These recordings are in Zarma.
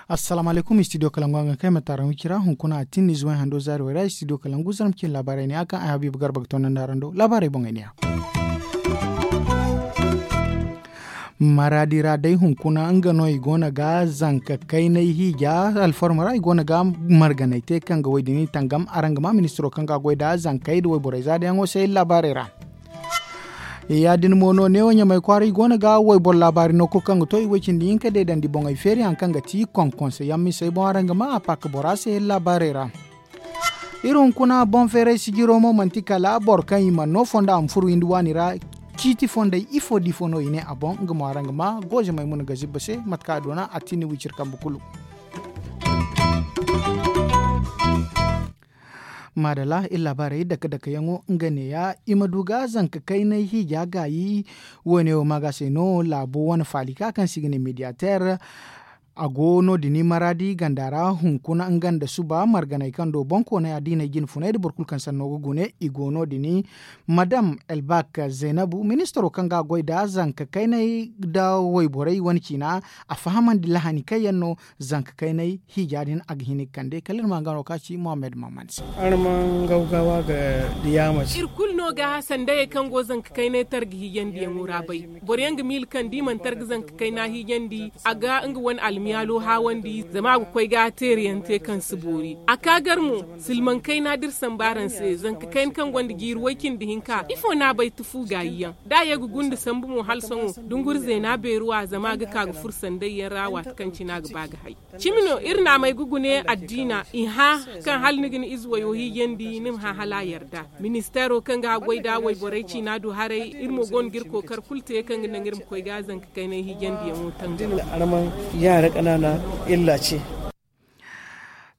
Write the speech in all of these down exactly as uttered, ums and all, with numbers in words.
Assalaamu alaykum, studio kalangu a ga kay ma taaraŋ wicira hunkuna a tinni zuway hando zaari way ra studio kalangu zarma cine laabaarey ne a kaŋ ay habiiba garba ga tondandi araŋ do laabaarey boŋey ne ya. Maraadi ra day hunkuna nga no i go no ga zanka kaynay hiija alfarma ra i go no ga marganay te kaŋ ga woy din i tangam araŋ ga ma ministiro kaŋ ga goy nda zankey nda wayborey zaadayaŋo se iri laabaarey ra. Ya- din mo no neewo ɲamay kwaara i go no ga wayboro laabaari no kulu kaŋ ga to i way cindi hinka deedandi boŋey feeri hari kaŋ ga ti konkonse yaŋ misey boŋ araŋ ga ma a paaka bora se iri laabaarey ra. Iri hunkuna boŋ feeray sijiro mo manti kala boro kaŋ i mana no fondo a ma furu windi waani ra. Ciiti fondey ifo da ifo no i ne a boŋ nga mo araŋ ga ma gooze maymuna ga zibba se mate kaŋ a doona a tinni wiciri kambe kulu. Maadalla iri laabaarey dake dake yaŋo nga neeya i ma du ga zanka kaynay hiija gaayi. Wo- ne wo ma ga se no laabo wane faali ka kaŋ se i ga ne mediyateer. A go no- din maraadi ganda ra hunkuna nga nda suba marganey kaŋ do boŋ kooney addiiney jine funey nda boro kulu kaŋ sanno ga gune i go no- din. Madam elbak zaynabu ministiro kaŋ ga a goy nda zanka kaynay nda wayborey wane ciina a fahamandi lahani kaŋ yaŋ no zanka kaynay hiija din a ga hin ga kande kala iri ma nga no kaŋ a ci mohammed maman se. Araŋ ma gawgawa ga diyaama ci. Iri kulu no ga sandayey kaŋ go zanka kaynay targa hiijandiyaŋo ra bay. Boro yaŋ ga miila kaŋ da i mana targa zanka kayna hiijandi a ga nga wane almiyaalo haawandi zama a ga koy ga teerayaŋ te kaŋ si boori a ka gar mo. Silmaŋ kayna da iri sambu araŋ se zanka kayna kaŋ gonda jiiri way-cindi hinka ifo no a bay tufu gaayi yaŋ da a ye ga gunda sambu mo hala sohõ dunguri zeena beeru a zama a ga ka ga furo sanday yaŋ ra waati kaŋ cine a ga ba ga hay. Cimi no iri naamey ga gune addiina i hã kaŋ hala ni ga ni ize wayo hiijandi ni ma hã hala a yarda. Ministeero kaŋ ga a goy nda wayborey ciina du haray iri mo go no ga iri kookari kulu te kaŋ ga naŋ iri ma koy ga zanka kaynay hiijandiyaŋo tangam. Araŋ ma yaara kanaana illa ce.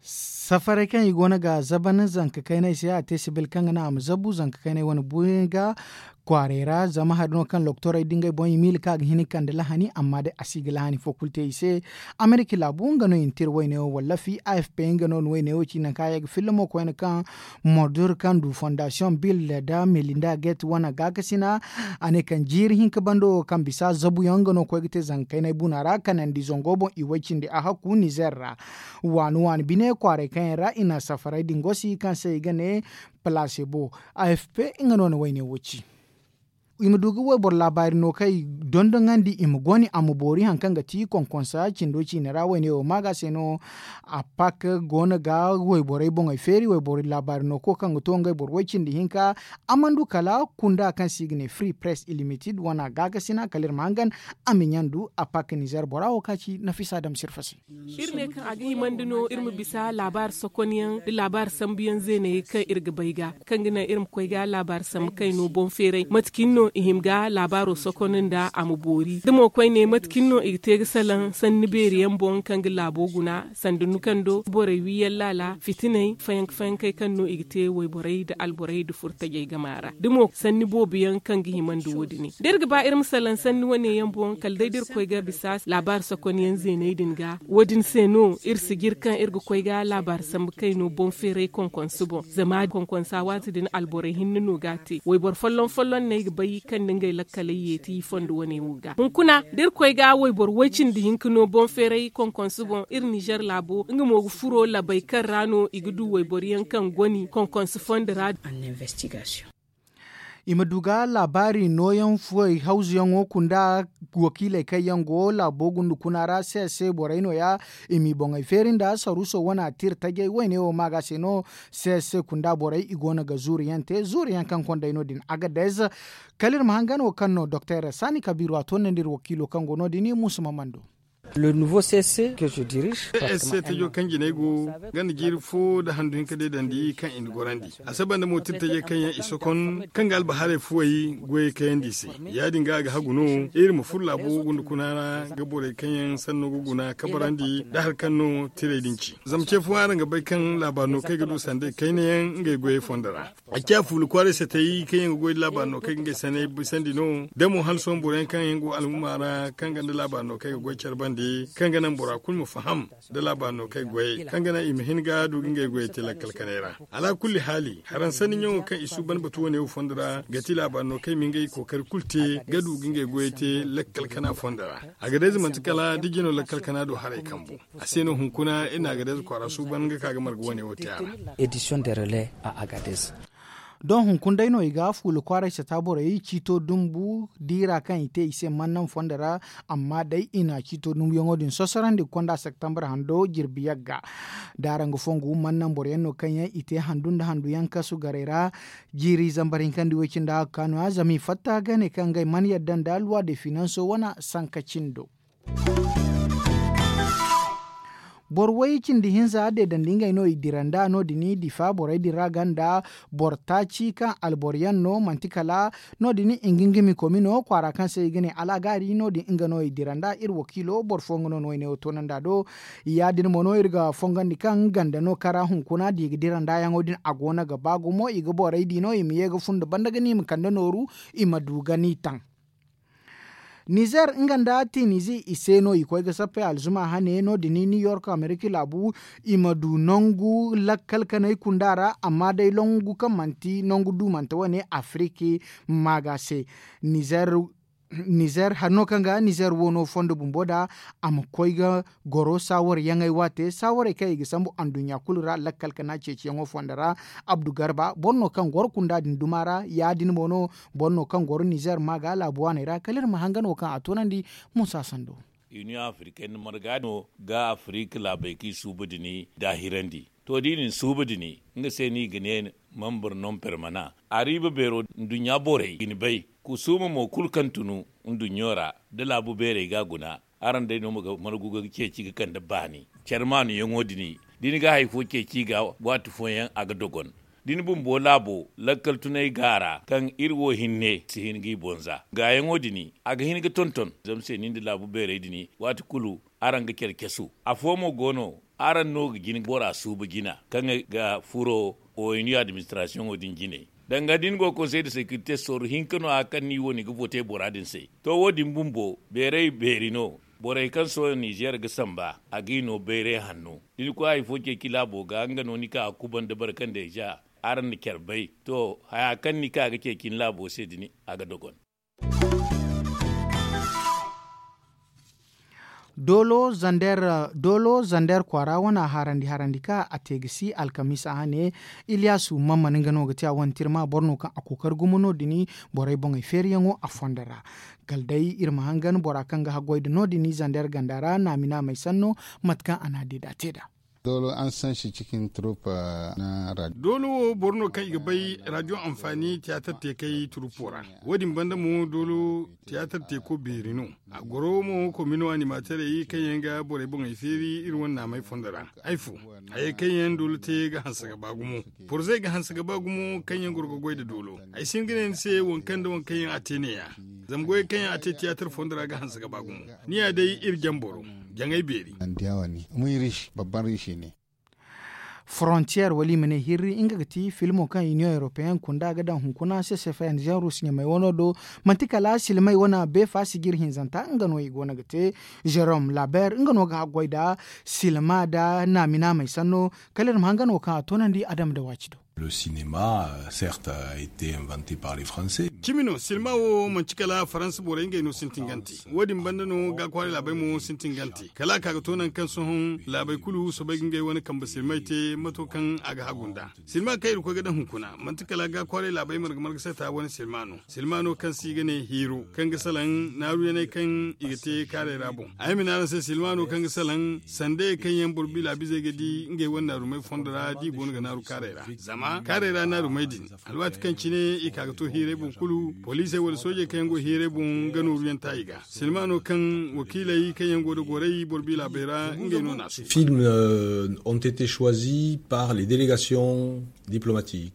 Safaray kaŋ i go no ga zaban zanka kaynay se a te sibil kaŋ ga naŋ a ma zabu zanka kaynay wane buuyaŋ ga kwaaray ra zama hari no kaŋ loktorey da ngey boŋ i miila kaŋ a ga hin ga kande lahani amma day a si ga lahani fo kulu te i se. Amerika laabu nga no i na tira wayne wo wallafi a f p nga no na wayne wo ci nanka ya ga filla mo koyne kaŋ mordur kaŋ du fondasiyoŋ bill nda melinda gate wane gaakasina. A ne kaŋ jiiri hinka bando wo kaŋ bisa zabuyaŋ nga no koy ga te zanga kaynay buna ra kanandi zango boŋ i way cindi a hakku nizer ra. Waani waani bine kwaaray kaŋ yaŋ ra i na safaray din gosi kaŋ se i ga ne plasebo. A f p nga no na wayne wo ci. I ma du ga wayboro laabaari no kaŋ i dondoŋandi i ma goni a ma boori hari kaŋ ga ti konkonsa cindo ciine ra wayne wo maaga se no. A pak go no ga wayborey boŋey feeri wayboro laabaari no ko kaŋ ga to ngey boro way cindi hinka. A mana du kala kunda kaŋ se i ga ne free press ilimited wane a gaakasina kala iri ma hangan. A ma ɲandu a pak nizer bora wo kaŋ ci nafisa dam sirfa se. Iri ne kaŋ a ga himandi no iri ma bisa laabaari sokonyaŋ da laabaari sambuyaŋ zeenayey kaŋ iri ga bay ga kaŋ ga naŋ iri ma koy ga laabaari sambu kayno boŋ feeray mate cine no i hima ga laabaaro sokon nda a ma boori da mo koyne mate cine no i ga te ga salaŋ sanni beeri yaŋ boŋ kaŋ ga laabo guna sanda nukando borey wiiyaŋ laala fitiney fayanka fayankey kaŋ no i ga te wayborey nda alborey nda furtajey gama ra da mo sanni boobo yaŋ kaŋ ga himandi wo- din da iri ga ba iri ma salaŋ sanni wane yaŋ boŋ kala day da iri koy ga bisa laabaari sokonyaŋ zeeney din ga wo- din se no iri si jire kaŋ iri ga koy ga laabaari sambu kayno boŋ feeray konkonsu boŋ zama konkonsa waati din alborey hinne no ga a te wayboro folloŋ folloŋ no ay ga bay kaŋ nda ngey lakkaley yeeti fondo wane wo ga hunkuna da iri koy ga wayboro way cindi hinka no boŋ feeray konkonsu boŋ iri nizer laabo nga mo ga furo labey kaŋ ra no i ga du wayboro yaŋ kaŋ goni konkonsu fondo ra. I ma du ga laabaari nooyaŋ fuwey hawzuyaŋo kunda wakiiley kaŋ yaŋ go laabo gunda kuna ra se se borey nooya. I m'i boŋey feeri nda saruuso wane a tira tajey wayne wo maaga se no. Se se kunda borey i go no ga zuuriyaŋ te zuuriyaŋ kaŋ kondey no- din agadez. Kala iri ma hangan wo kaŋ no doktor saani kabiiru a toonandi iri wakiilo kaŋ go no- din muusa ma mando. Le nouveau c s c que je dirige. S s c tajo kaŋ jinay go ganda jiiri fo nda handu hinka deedandi kaŋ i na gorandi a saba nda mo tira tajey kaŋ yaŋ i sokon kaŋ ga albahaarey fuwey goyey kayandi i se. Ya- din ga a ga hagu no iri ma furo laabo gunda kuna ra ga borey kaŋ yaŋ sanno ga guna kabarandi nda hari kaŋ no tirey din ci zama ce fo araŋ ga bay kaŋ laabaari no kaŋ ay ga du sanday kayna yaŋ ngey goyey fondo ra. A ciya fuula kwaaray se tay kaŋ yaŋ ga goy da laabaari no kaŋ ga ngey sanay bisandi no da mo hala sohõ boro yaŋ kaŋ yaŋ go alhumma ra kaŋ ganda laabaari no kaŋ ga goy care bande. Kaŋ ga naŋ bora kulu ma faham da laabaari no kaŋ ay goyey kaŋ ga naŋ i ma hin ga du ga ngey goyey te lakkal kanay ra. Alaakulli haali haransanni ɲaŋo kaŋ i suuban batu wane wo fondo ra ga ti laabaari no kaŋ i ma ngey kookari kulu te ga du ga ngey goyey te lakkal kana fondo ra. Agadayze manti kala da jino lakkal kana do haray kambu. A se no hunkuna iri na agadayze kwaara suuban ga ka ga marga wane wo te a ra. Edisiyoŋ de rele a agadayze. Doŋ hunkuna day no i ga fuula kwaaray sata borey ciito dumbu diira kaŋ i te i se mannaŋ fondo ra. Amma day i na ciito dumbuyaŋo din sosorandi ga konda septembre hando jirbi yagga. Da araŋ ga fongu mannaŋ boroyaŋ no kaŋ yaŋ i te handu nda handuyaŋ kasu garey ra. Jiiri zambar hinkandi way-cindi hakka no- ya zama i fatta ga ne kaŋ ngey mana yadda nda luwa de finanso wane sanka cindo. Boro way cindi hinza deedandi ngey no i dira nd'a no- din difa borey din ra ganda boro taaci kaŋ alboro yaŋ no manti kala no- din i ga nga mi komi no kwaara kaŋ se i ga ne alagaari no- din nga no i dira nd'a iri wakiilo boro fooyaŋ no no ay ne wo toonandi a do. Ya- din mo no iri ga fongandi kaŋ ganda no kara hunkuna da i ga dira nd'a yaŋo din a go no ga ba gumo i ga borey di no i ma ye ga fun nda banda ga ne i ma kande nooru i ma du ga ni taŋ. Nizer nga nda tinizi i se no i koy ga sappey alzuma hane no- din new york amerika laabu i ma du nangu lakkal kanay kunda ra amma day nangu kaŋ manti nangu duumante wane afiriki maaga se. Nizer hari no kaŋ ga nizer wo no fondo bumbo da a ma koy ga goro saawaryaŋey waate saawarey kaŋ i ga sambu anduɲɲa kulu ra lakkal kana ceeciyaŋo fondo ra. Abdu garba boro no kaŋ goro kunda din duma ra ya- din mo no boro no kaŋ goro nizer ma ga laabu waaney ra kala iri ma hangan wo kaŋ a toonandi. Musa sando. Iniyoŋ afirikey nda marga no ga afirik laabey kaŋ i suuba din daahirandi. To da i na suuba din nga se no i ga ne mambur non permana a riiba beero nduɲɲa borey ga ni bay kusuuma mo kulu kaŋ tunu nduɲɲo ra da laabu beerey ga a guna. Araŋ day no ma ga margu ga ceeci ga kande baani care maanu yaŋo din da ni ga hari fo ceeci ga waati fooyaŋ a ga dogon. Da ni bumbo laabo lakkal tunay gaara kaŋ iri wo hinne si hin ga i bonza gaayaŋo din a ga hin ga tonton zama se ni nda laabu beerey din waati kulu araŋ ga care casu. Afo mo go no araŋ no ga jin bora suuba jina kaŋ ga furo oynu administrasiyoŋo din jinay. Danga da ni go konsey de sekirite sorro hinka no- ya kaŋ ni wo ni ga vote bora din se. To wo- din bumbo beeray beeri no. Borey kaŋ sohõ nizer ga samba a ga i no bayray hanno da ni koy hari fo ceeci laabo ga nga no ni ka ga kubanda barkandey za. Araŋ na care bay to haya kaŋ ni ka ga ceeci ni laabo se din a ga dogon. Doolo zander kwaara wane harandi harandi ka a te ga si alkamiisa hane. Iliyasu mamman nga no ga te a wane tirma boro no kaŋ a kookari gumo no- din borey boŋey feeriyaŋo a fondo ra. Kala day iri ma hangan bora kaŋ ga haggoy nda no- din zander ganda ra naami naamey sanno mate kaŋ a na a deeda te nd'a. Doolo wo boro no kaŋ i ga bay radiyo anfaani tiyaatar teekey turuppo ra. Wo- din banda mo doolo tiyaatar teeko beeri no. A goro mo komino animaterey kaŋ yaŋ ga borey boŋey feeri iri wane naamey fondo ra. Ay fo hayey kaŋ yaŋ doolo te ga hanse ga ba gumo. Porzey ga hanse ga ba gumo kaŋ yaŋ goro ga goy nda doolo. Ay si hin ga ne ni se waŋ kaŋ nda waŋ kaŋ yaŋ a te ne- ya. Zama goyey kaŋ yaŋ a te tiyaatar fondo ra ga hanse ga ba gumo. Ni ya day iri jamboro jaŋay beeri. Frontier wala i ma ne hirri nga ga ti filmo kaŋ union european kunda ga daŋ hunkuna se sefayan janrus ɲamey wano do. Manti kala silmay wana beefa sijir hinzanta nga no i go no ga te. Jerome laber nga no ga haggoy nda silma nda naami naamey sanno. Kala iri ma hangan wo kaŋ a toonandi adama nda waaci do. Le cinéma certes a été inventé par les français. Cimi no silma wo manti kala faransa borey ngey no sintin gante. Wo- din banda no ga kwaaray laabey mo sintin gante kala a ka ga to nangu kaŋ sohõ laabey kulu soobay ga ngey wane kambe silmay te mato kaŋ a ga hagu nd'a. Silma kaŋ iri koy ga daŋ hunkuna manti kala ga kwaaray laabey marga marga sata wane silma no. Silma no kaŋ se i ga ne hiiro kaŋ ga salaŋ naaruyaney kaŋ i ga te kaaray ra boŋ. Ay ma ne araŋ se silma no kaŋ ga salaŋ sandayey kaŋ yaŋ boro biila bizey ga di ngey wane naarumey fondo ra da i go no ga naaru kaaray ra. Zama kaaray ra naarumey din alwaati kaŋ cine i ka ga to hiirey boŋ kulu poliisey wala soojey kaŋ yaŋ go hiirey boŋ ga nooru yaŋ ta i ga. Silma no kaŋ wakiiley kaŋ yaŋ go nda goray boro biila bay ra ngey no na a suuba. Films ont été choisis par les délégations diplomatiques.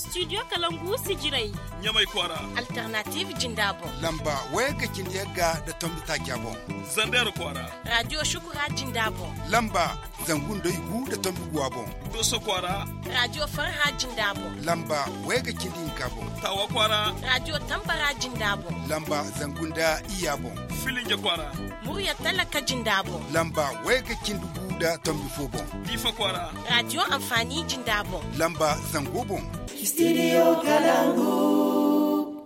Studio kalangu sijiray. Ɲamay kwaara. Alternative jinda boŋ. Lamba wayagga cindi yagga nda tombi taaca boŋ. Zandeer kwaara. Radio shukura jinda boŋ. Lamba zangu nda igu nda tombi guwa boŋ. Dooso kwaara. Radio farha jinda boŋ. Lamba wayagga cindi hinka boŋ. Taawa kwaara. Radio tambara jinda boŋ. Lamba zangu nda iyya boŋ. Filinja kwaara. Murya talaka jinda boŋ. Lamba wayagga cindi gu nda tombi fo boŋ. Diifa kwaara. Radio anfaani jinda boŋ. Lamba zango boŋ. Studio kalangu.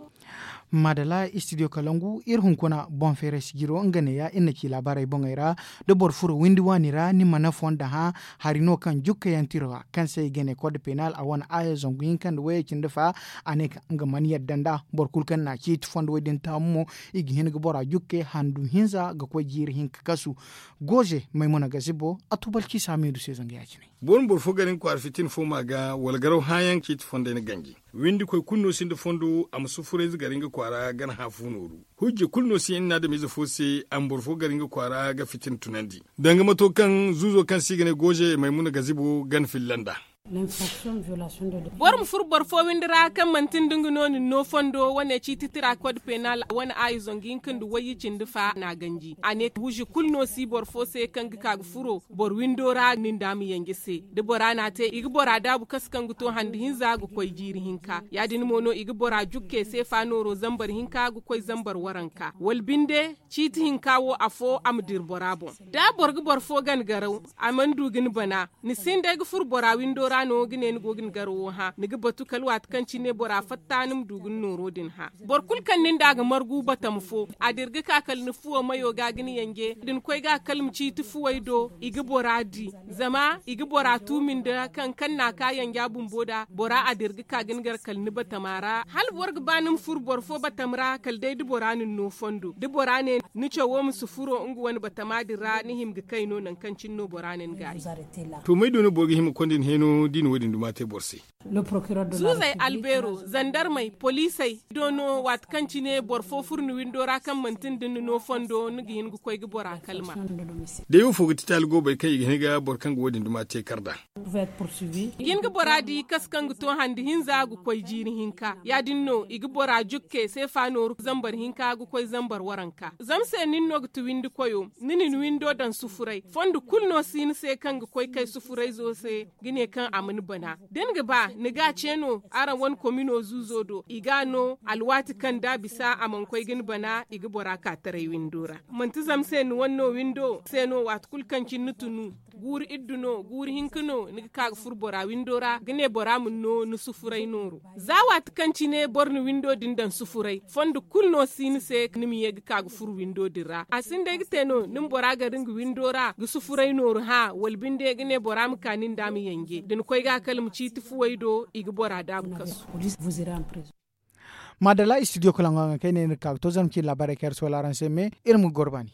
Madala studio kalangu iri hunkuna boŋ feeray sijiro nga neeya iri na ci laabaarey boŋey ra. Da boro furo windi waani ra ni mana fonda hã. Hari no kaŋ jukka yaŋ tiro ra kaŋ se i ga ne kod penal a wane aayo zangu hinka nda wayey cindi fa. A ne kaŋ nga mana yadda nd'a. Boro kulu kaŋ na a ciiti fondo wo- din taamu mo i ga hin ga bora jukke handu hinza ga koy jiiri hinka kasu. Gooze maymuna gazibo a tubalci saamiidu se zanga ya- cine. Boro ma boro fo gar nga kwaara fitina fo ma ga wala garaw hãyaŋ ciiti fondey na ganji. Windikoy kulu no sinda fondo a ma sufurayze gar nga kwaara gana hã fu nooru. Hujja kulu no si hinne adamize fo se a ma boro fo gar nga kwaara ga fitina tunandi. Danga mato kaŋ zuuzo kaŋ se i ga ne gooze maymuna gazibo gana filla nd'a. Boro ma furo boro fo windi ra kaŋ manti nda nga no na ni no fondo wane ciiti tira kod penal wane aayi zangu hinka nda wayye cindi fa na a ganji a ne huuzi kulu no si boro fo se kaŋ ga ka ga furo boro windo ra nin da a ma yanje se. Da bora na a te i ga bora daabu kasu kaŋ ga to handi hinza ga koy jiiri hinka ya- din mo no i ga bora jukke seefa nooro zambar hinka ga koy zambar waranka wala binde. Ciiti hinka wo afo a ma dira bora boŋ. Da boro ga boro fo gana garaw a mana du ga ni bana. Ni sinda ay ga furo bora windo ra no ga ne ni go ga ni garawo hã ni ga batu kala waati kaŋ cine bora fatta ni ma du ga ni nooro din hã. Boro kulu kaŋ nin da a ga margu batama fo a dira ga ka kala ni fuwo mayo ga ga ni yanje da ni koy ga kala ma ciiti fuwey do i ga bora di. Zama i ga bora tuumi nda kaŋ kaŋ na a ka yanja bumbo da bora a dira ga ka ga ni gar kala ni batama ra hala boro ga ba ni ma furo boro fo batama ra kala day da bora na ni no fondo da bora ne ni cawo ma si furo nga wane batama din ra ni hima ga kay no nangu kaŋ cine no bora na ni gaayi. To may do no boro ga hima ga konda ni heeno da i na wo- din duma te boro se? Zuuzey albeero zandarmey poliisey do no waati kaŋ cine boro fo furo ni windo ra kaŋ manti nda ni no fondo ni ga hin ga koy ga bora kalma. Day wo fo ga ti taali goobey kaŋ i ga hin ga boro kaŋ ga wo- din duma te kar nd'a. Ga hin ga bora di kasu kaŋ ga to handi hinza ga koy jiiri hinka ya- din no i ga bora jukke seefa nooru zambar hinka ga koy zambar waranka zama se nin no ga ti windi koyo. Ni na ni windo daŋ sufuray fondo kulu no si ni se kaŋ ga koy kay sufurayzo se ga ne kaŋ a ma ni bana. Da ni ga ba ni ga a ce no araŋ wane komino zuuzo do i ga a no alwaati kaŋ da a bisa a mana koy ga ni bana i ga bora ka taray windo ra. Manti zama se ni wane no windo se no waati kulu kaŋ cine ni tunu guuru iddu no guuru hinka no ni ga ka ga furo bora windo ra ga ne bora ma ni no ni sufuray nooru. Za waati kaŋ cine boro na windo din daŋ sufuray fondo kulu no si ni se ni ma ye ga ka ga furo windo din ra a sinda ay ga te no ni ma bora gar nga windo ra ga sufuray nooru hã wala binde ga ne bora ma ka nin da a ma yanje da ni koy ga kala ma ciiti fuwey do i ga bora daabu kasu. Madala studio kalaŋo haŋ kaŋ ay ne ni ga ka ga to zama ci laabaarey kaŋ iri si wala araŋ se me iri ma ga goro baani.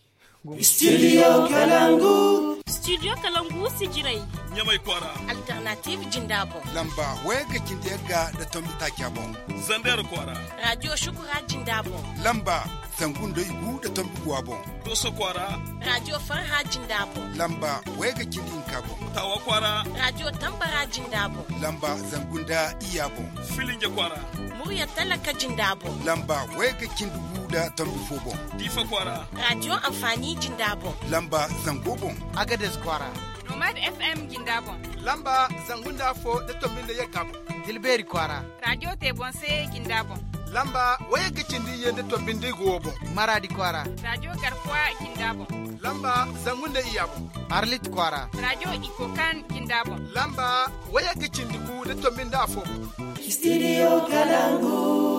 Studio kalangu. Studio kalangu sijiray. Ɲamay kwaara. Alternative jinda boŋ. Lamba wayagga cindi yagga nda tombi taaca boŋ. Zandeer kwaara. Radio shukura jinda boŋ. Lamba zangu nda igu nda tombi guwa boŋ. Dooso kwaara. Radio farha jinda boŋ. Lamba wayagga cindi hinka boŋ. Taawa kwaara. Radio tambara jinda boŋ. Lamba zangu nda iyya boŋ. Filinja kwaara. Murya talaka jinda boŋ. Lamba wayagga cindi gu nda tombi fo boŋ. Diifa kwaara. Radio anfaani jinda boŋ. Lamba zango boŋ. Agades kwaara. Nomad FM jinda boŋ. Lamba zangu nda afo nda tombi nda yagga boŋ. Tilbeeri kwaara. Radio te boŋ se jinda boŋ. Lamba wayagga cindi iyye nda tombi nda igu wo boŋ. Maraadi kwaara. Radio garkuwa jinda boŋ. Lamba zangu nda iyya boŋ. Arlit kwaara. Radio ikokan jinda boŋ. Lamba wayagga cindi gu nda tombi nda afo boŋ. Studio kalangu.